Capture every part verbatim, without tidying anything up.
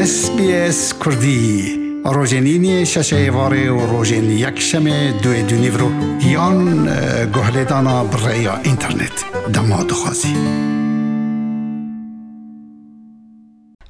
S B S Kurdî, rojên îniyê şeşê êvarê û rojên yekşemê duê dûnîvro yan, e, guhlêdana bi rêya înternet. Dema dixwazî.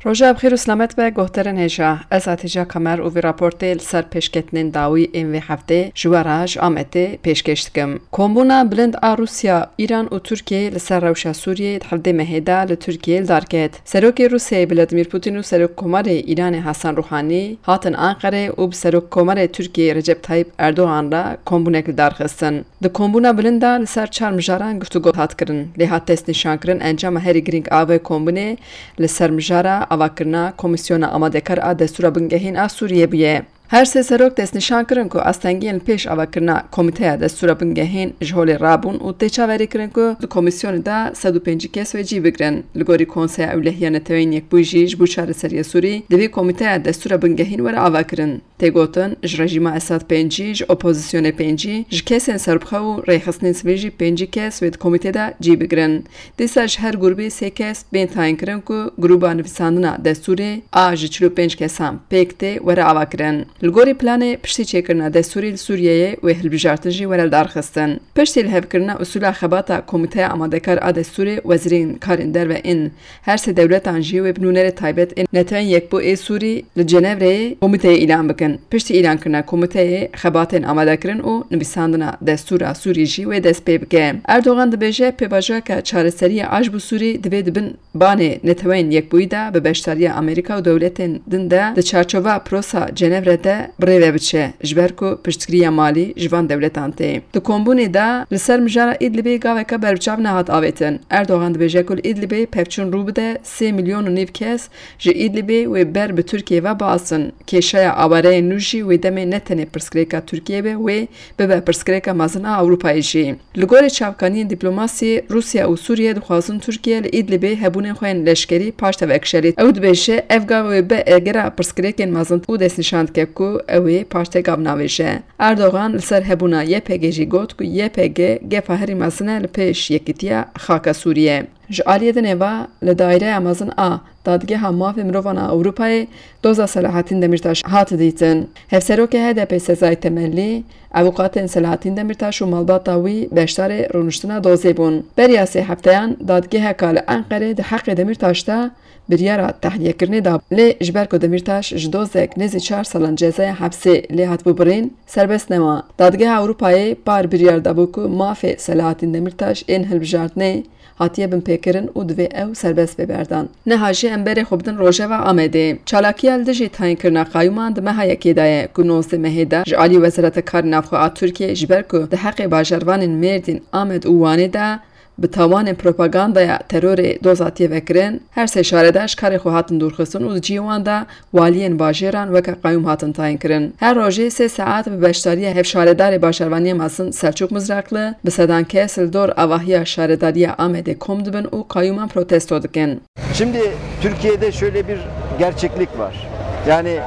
Roja bi xêr û selamet be, guhdarên hêja. Ez Hatice Kamer û vî raportê li ser pêşketinên dawî ên vê heftê ji we re ji Amedê pêşkêş dikim. Kombûna bilind a Rûsya, Îran û Tirkiyeyê li ser rewşa Sûriyeyê di hevdê mehê de li Tirkiyeyê li dar ket. Serokê Rûsyayê Vladimir Putin û Serokkomarê Îranê Hasan Ruhanî hatin Anqerê û bi Serokkomarê Tirkiyeyê Recep Tayyip Erdogan re kombûnek li dar xistin. Di kombûna bilind de li ser çar mijaran guftûgo hat kirin. Lê hat destnîşankirin encama herî girîng a vê kombûnê li ser mijara avakirina Komîsyona Amadekar a Destûra Bingehîn a Sûriyê bûye. Her sê serok destnîşan kirin ku astengiyên li pêş avakirina Komîteya Destûra Bingehîn ji holê rabûn û tê çaverêkirin ku di komîsyonê de sed û pêncî kes wê cî bigrin. Li gorî Konseya Ewlehiya Neteweyên Yekbûyî jî ji bo çareseriya Sûrî divê Komîteya Destûra Bingehîn were avakirin. Tê gotin, ji rejîma Esad pêncî, ji opozisyonê pêncî, ji kesên serbixwe û rêxistinên sivîl jî pêncî kes wê di komîtê de cî bigrin. Dîsa ji her grûbê sê kes bên tayînkirin ku grûba nivîsandina destûrê a ji çil û pênc kesan pêk tê were avakirin. Li gorî planê, piştî çêkirina destûrê li Sûriyeyê wê hilbijartin jî were lidarxistin. Piştî lihevkirina usûla xebata Komîteya Amadekar a Destûrê, wezîrên karên derve ên her sê dewletan jî wê bi nûnerê taybet ên Netewên Yekbûyî ê Sûrî li Cenevreyê komîteyê îlan bikin. Piştî îlankirina komîteyê, xebatên amadekirin û nivîsandina destûra Sûrî jî wê dest pê bike. Erdogan dibêje, pêvajoyeke çareseriyê a ji bo Sûrî divê di bin banê Neteweyên Yekbûyî de bi beşdariya Amerîka û dewletên din de di çarçova prosa Cenevre de bi rê ve biçe, ji ber ku piştgiriya malî ji van dewletan tê. Di kombûnê de li ser mijara Îdlibê gaveke berbiçav nehat avêtin. Erdogan dibêje ku li Îdlibê pevçûn rû bide, sê milyon û nîv kes ji Îdlibê wê ber bi Tirkiyê ve biasin. Kêşeya awareyên nû jî wê demê ne tenê pirsgirêka Tirkiyê be, wê bibe pirsgirêka mezin a Ewropayê jî. Li gorî çavkaniyên dîplomasî, Rûsya û Sûriye dixwazin Tirkiye li Îdlibê hebûnên xwe yên leşkerî paşde vekişe, lê ew dibêje, ev gav wê be egera pirsgirêkên mezin û destnîşan dike ku ew ê paşde gav navêje. Erdogan li ser hebûna Y P G jî got ku Y P G gefa herî mezin e li pêş yekîtiya xaka Sûriye. Ji aliyê dinê ve, li Daireya Mezin a Dadgeha Mafê Mirovan a Ewropayê doza Selahattin Demirtaş hat dîtin. Hevserokê H D P Sezai Temelli, avûkatên Selahattin Demirtaş û malbata wî beşdarê rûniştina dozê bûn. Beriya sê hefteyan, dadgeheka li Enqerê di heqê Demirtaş de biryara tehliyekirinê da, lê ji ber ku Demirtaş ji dozek nêzî çar salan cezaya hepsê lê hatibû birîn, serbest nema. Dadgeha Ewropayê par biryar dabû ku mafê Selahattin Demirtaş ên hilbijartinê hatiye binpêkirin û divê ew serbest bê berdan. Niha jî em berê xwe bidin rojeva Amedê. Çalakiya li dijî tayînkirina qayûman di meha yekê de ye, ku nozdeh mehê de ji alî Wezareta Karê Navxwe a Tirkiyê, ji ber ku di heqê bajarvanên Mêrdîn, Amed û Wanê de bi tawanên propagandaya terorê doz hatiye vekirin, her sê şaredar ji karê xwe hatin dûrxistin û di cihê wan de waliyên bajêran weke qayûm hatin tayînkirin. Her rojê sê saet bi beşdariya hevşaredarê bajarvaniya mezin Selçuk Mizrakli, bi sedan kes li dor avahiya şaredariya Amedê kom dibin û qayûman protesto dikin. Şimdi Türkiye'de şöyle bir gerçeklik var. Yani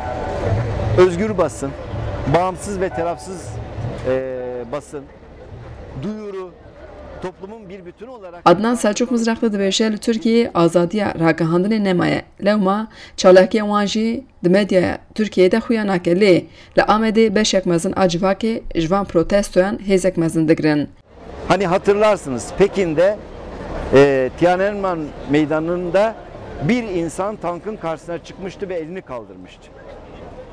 özgür basın, bağımsız ve tarafsız, e, basın, duyuru, toplumun bir bütün olarak Adnan Selçuk Mizrakli dibêje, li Tirkiyeyê azadiya ragihandinê nemaye. Lewma çalakiya wan jî di medyaya Tirkiyeyê de xuya nake. Lê li Amedê beşek mezin a civakê ji van protestoyan hêzek mezin digirin. Hani hatırlarsınız, Pekin'de, e, Tiananmen Meydanı'nda bir insan tankın karşısına çıkmıştı ve elini kaldırmıştı.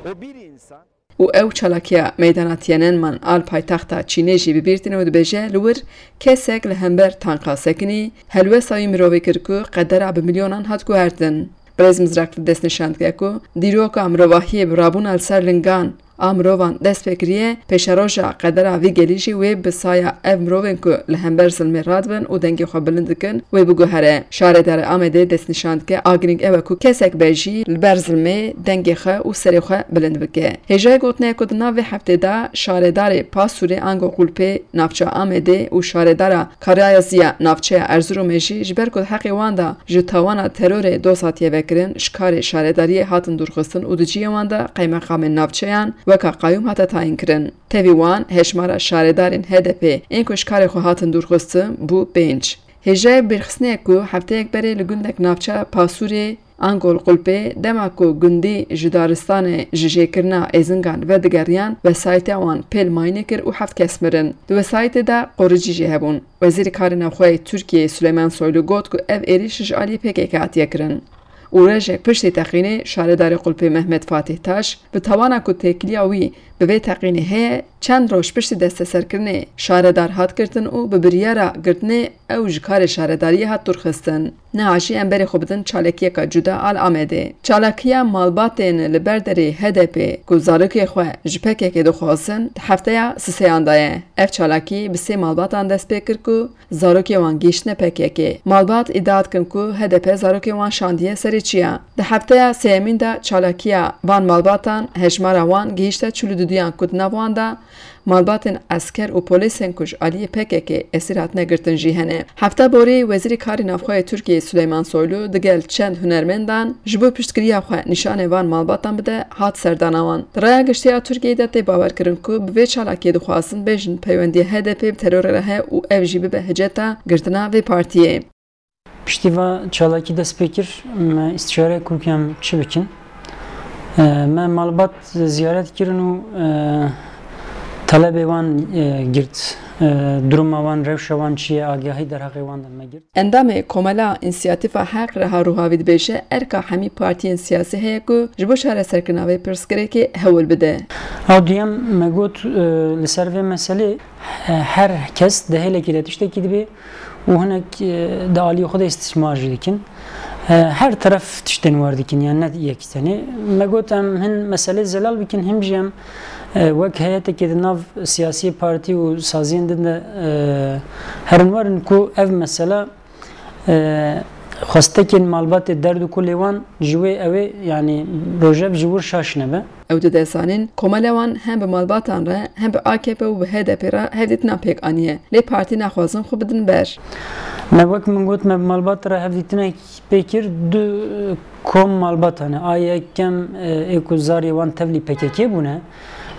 O bir insan Û ew çalakiya meydana Tiananmen a li paytexta Çînê jî bi bîr tîne û dibêje, li wir kesek li hember tanka sekinî, helwesta wî mirovê kir ku qedera bi milyonan hat guhertin. Birêz Mizrak destnîşan dike ku dîroka mirovahiyê bi rabûna li ser lingan a mirovan dest pê kiriye, pêşeroja qedera vî gelî jî wê bi saya ev mirovên ku li hember zilmê radibin û dengê xwe bilind dikin, wê biguhere. Şaredarê Amedê destnîşan dike, a girîng ew e ku kesek be jî li ber zilmê dengê xwe û serê xwe bilind bike. Hêjayê gotinê ye ku di nav vê heftê de şaredarê Pasûrê ango Qulpê navçeya Amedê û şaredara Karayaziya navçeya Erzurumê jî ji ber ku di heqê wan de ji tawana terorê doz hatiye vekirin, ji karê şaredariyê hatin dûrxistin û di cihê wan de qeymeqamên navçeyan weka qayûm hate tayînkirin. Tevî wan hejmara şaredarên H D P ên ku ji karê xwe hatin dûrxistin bû pênc. Hêjayê bîrxistinê ye ku hefteyek berê li gundek navça Pasûrê, ango li Qulpê, dema ku gundî ji daristanê ji jêkirina êzingan vedigeriyan, wesayîta wan pêl mayînê kir û heft kes mirin. Di wesayîtê de qoricî jî hebûn. Wezîrê Karê Navxwe yê Tirkiyeyê Suleyman Soylu got ku ev êrîş ji aliyê P K K hatiye kirin. Û rojek piştî teqînê şaredarê Qulpê Mehmet Fatih Taş bi tawana ku têkiliya wî bi vê teqînê heye, çend roj piştî desteserkirinê şaredar hat girtin û bi biryara girtinê ew ji karê şaredariyê hat dûrxistin. Niha jî em berê xwe bidin çalakiyeka cuda a li Amedê. Çalakiya malbatên li ber derê H D P ku zarokê xwe ji P K K dixwazin, di hefteya sisêyan de ye. Ev çalakî bi sê malbatan dest pê kir ku zarokê wan gihîştine P K K. Malbat îdia dikin ku H D P zarokê wan şandiye serê çiya. Di hefteya sêyemîn de çalakiya van malbatan hejmara wan gihîşte çil û duduyan ku di nav wan de malbatên esker û polîsên ku ji aliyê P K K esîr hatine girtin jî hene. Hefta borî Wezîrê Karê Navxwe yê Tirkiyeyê Suleyman Soylu digel çend hunermendan ji bo piştgiriya xwe nîşanê van malbatan bide hat serdana wan. Di raya giştî ya Tirkiyeyê de tê bawerkirin ku bi vê çalakiyê dixwazin bêjin peywendiya H D P bi terorê re heye û ev jî bibe hiceta girtina vê partiyê. Piştî va çalakî dest pê kir, me îstişare kir ku em çi bikin. E, me malbat ziyaret kirin û, e, talebê wan, e, girt. E, duruma wan, rewşa wan çi ye, agahî derheqê wan de me girt. Endamê Komela Însiyatîfa Heq Reha Ruhavî dibêje, erka hemî partiyên siyasî heye ku ji bo çareserkirina vê pirsgirêkê hewl bide. Ew duyem me got, e, li ser vê meselê, e, her kes di hêlekê de tiştekî dibê û hinek, e, di aliyê xwe de îstîsmar jî dikin. E, her teref tiştên wer dikin, yani ne yek tenê. Me got em hin meselê zelal bikin, him jî em, e, wek heyetekê di nav siyasî partî û saziyên din de, e, herin werin ku ev mesela, e, xwestekên malbatê derd û kulê wan ji wê ew ê, yani rojev ji wir şaş nebe. Ew dide zanîn, komela wan hem bi malbatan re, hem bi A K P û bi H D P re hevdîtina pêk aniye. Lê partî naxwazin xwe bidin ber. Me wek min got, me bi malbat re hevdîtinek pê kir, du kom malbat hene. A yekem, e, ê ku zarê wan tevlî P K K bûne.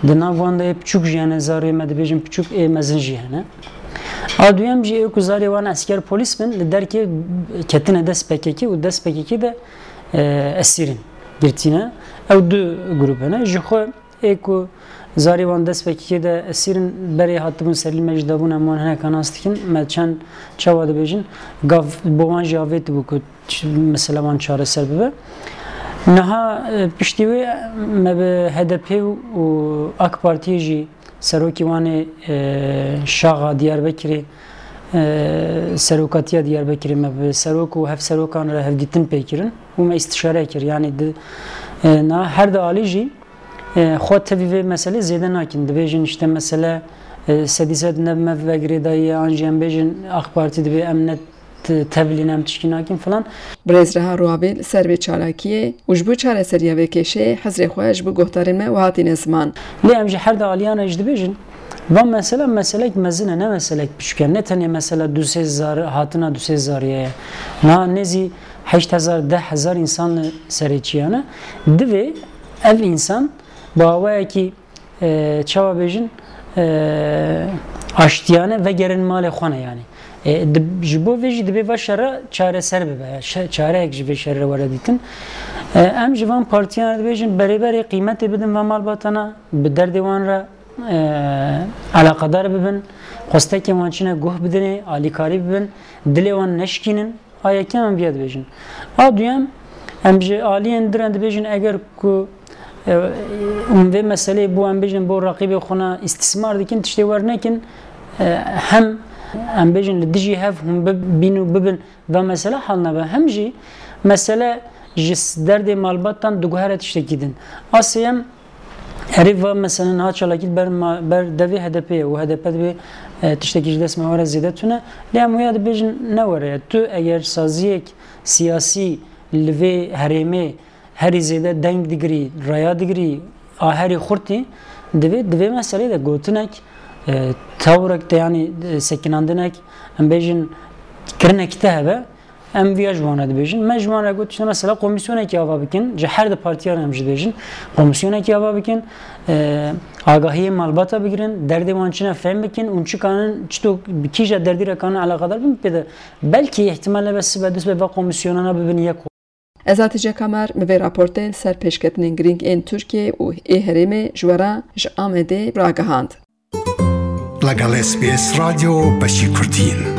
Di nav wan de ê piçûk jî hene, zarê me dibêjin piçûk, ê mezin jî hene. A duyem jî ê ku zarê wan esker polîs bin, li derkê ketine dest P K K û dest P K K de, e, esîr in, girtî ne. Ew du grûp hene. Ji xwe ê ku zarê wan dest P K K de esîr in, berê hatibûn serî me jî dabûn, em wan hineka nas dikin. Me çend çawa dibêjin, gav bo wan jî avêtibû ku ç-, mesela wan çareser bibe. Niha, e, piştî wê me bi H D P û AK Partiyê jî serokî wan ê, e, şaxa Diyarbekirê, e, serokatiya Diyarbekirê me bi serok û hevserokan re hevdîtin pê kirin û me îstişare kir. Yanî di, e, niha her di alî jî, e, xwe tevî vê meselê zêde nakin. Dibêjin işte mesele, e, sedî sed ne bi me ve girêdayî ye, an jî em bêjin AK Partî dibê em ne t-, tevlî ne em tişkî nakin filan. Birêz Reha Ruhavî li ser vê çalakiyê û ji bo çareseriya vê kêşeyê hizrê xwe ji bo guhdarên me wiha tîne ziman. Lê em ji her di aliyan re jî dibêjin, van mesela meselek mezin e, ne meselek piçûk e. Ne tenê mesela du sê zar, hatina du sê zariyê ye. Niha nêzî heşt hezar, deh hezar însan li serê çiyan e. Divê ev însan bi awayekî, e, çawa bêjin, e, aştiyane vegerin malê xwe ne yani. E, di-, ji bo vê jî divê va şera çareser bibe. Şe-, çareyek ji vê şerê re were dîtin. E, em ji van partiyan re dibêjin berê berê qîmetê bidin van malbatana, bi derdê wan re, e, eleqedar bibin, xwestekên wan çine guh bidinê, alîkarî bibin, dilê wan neşkînin. A yekem em viya dibêjin. A duyem, em ji aliyên din re dibêjin, eger ku, e, hûn vê meseleyê bo, em bêjin, bo reqîbê xwe ne îstîsmar dikin, tiştê wer nekin, e, hem em bêjin li dijî hev hûn bibîn û bibin ve mesele hal nebe, hem jî mesele ji s-, derdê malbatan diguhere tiştekî din. A sêyem, Erê va mesela niha çalakî ber ma-, ber devê H D P ye û H D P dibê, e, tiştekî ji dest me were zêde tune. Lê em wêya dibêjin ne were ye. Tu eger saziyek siyasî li vê herêmê herî zêde deng digirî, raya digirî, a herî xurtî, divê, di vê meselê de gotinek, e, tewrek te, yanî, e, sekinandinek, em bêjin kirinek te hebe, Em viya ji wan re dibêjin. Me ji wan re got, işte, mesela, komîsyonekî ava bikin, ji her di partiyan em jî dibêjin, komîsyonekî ava bikin, e, agahiyê malbata bigirin, derdê wan çi ne fêm bikin, û çi kanin, çito bi kîja derdî re kanin eleqedar bin pê de. Belkî îhtimal e be sibe du sibe va komîsyonana bibin yek. Ez Hatice Kamer, min vê raportê li ser pêşketinên girîng ên Tirkiyê û ê herêmê ji we re ji Amedê ragihand. لەگەڵ S B S رادیۆ بەشی کوردین.